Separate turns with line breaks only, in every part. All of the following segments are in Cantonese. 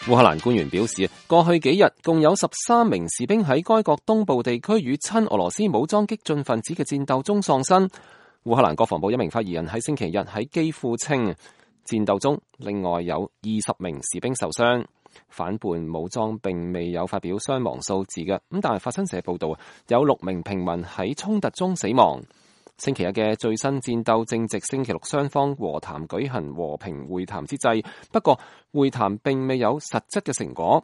烏克蘭官員表示，過去幾日共有13名士兵喺該國東部地區與親俄羅斯武裝激進分子嘅戰鬥中喪生。烏克蘭國防部一名發言人喺星期日喺基輔稱，戰鬥中另外有20名士兵受傷。反叛武裝並未有發表傷亡數字嘅，咁但係法新社報道有6名平民喺衝突中死亡。星期日嘅最新戰鬥正值星期六雙方和談舉行和平會談之際，不過會談並未有實質嘅成果。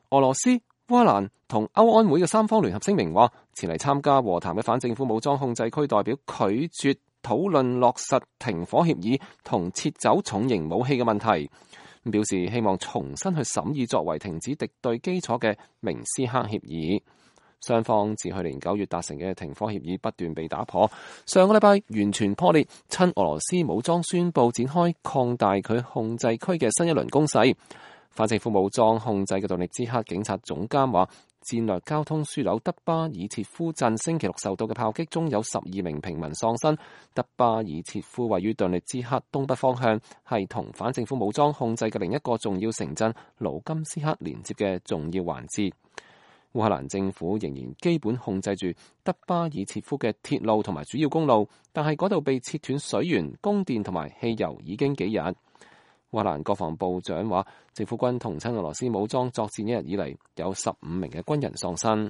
俄羅斯、烏克蘭同歐安會嘅3方聯合聲明話，前嚟參加和談嘅反政府武裝控制區代表拒絕討論落實停火協議同撤走重型武器嘅問題，表示希望重新去審議作為停止敵對基礎嘅明斯克協議。雙方自去年9月達成嘅停火協議不斷被打破，上個禮拜完全破裂。親俄羅斯武裝宣布展開擴大佢控制區嘅新一輪攻勢。反政府武裝控制嘅頓涅茨克警察總監話，戰略交通樞紐德巴爾切夫鎮星期六受到嘅炮擊中有12名平民喪生。德巴爾切夫位於頓涅茨克東北方向，係同反政府武裝控制嘅另一個重要城鎮盧甘斯克連接嘅重要環節。烏克蘭政府仍然基本控制住德巴爾切夫嘅鐵路同埋主要公路，但係嗰度被切斷水源、供電同埋汽油已經幾日。烏克蘭國防部長話，政府軍同親俄羅斯武裝作戰一日以嚟，有15名嘅軍人喪生。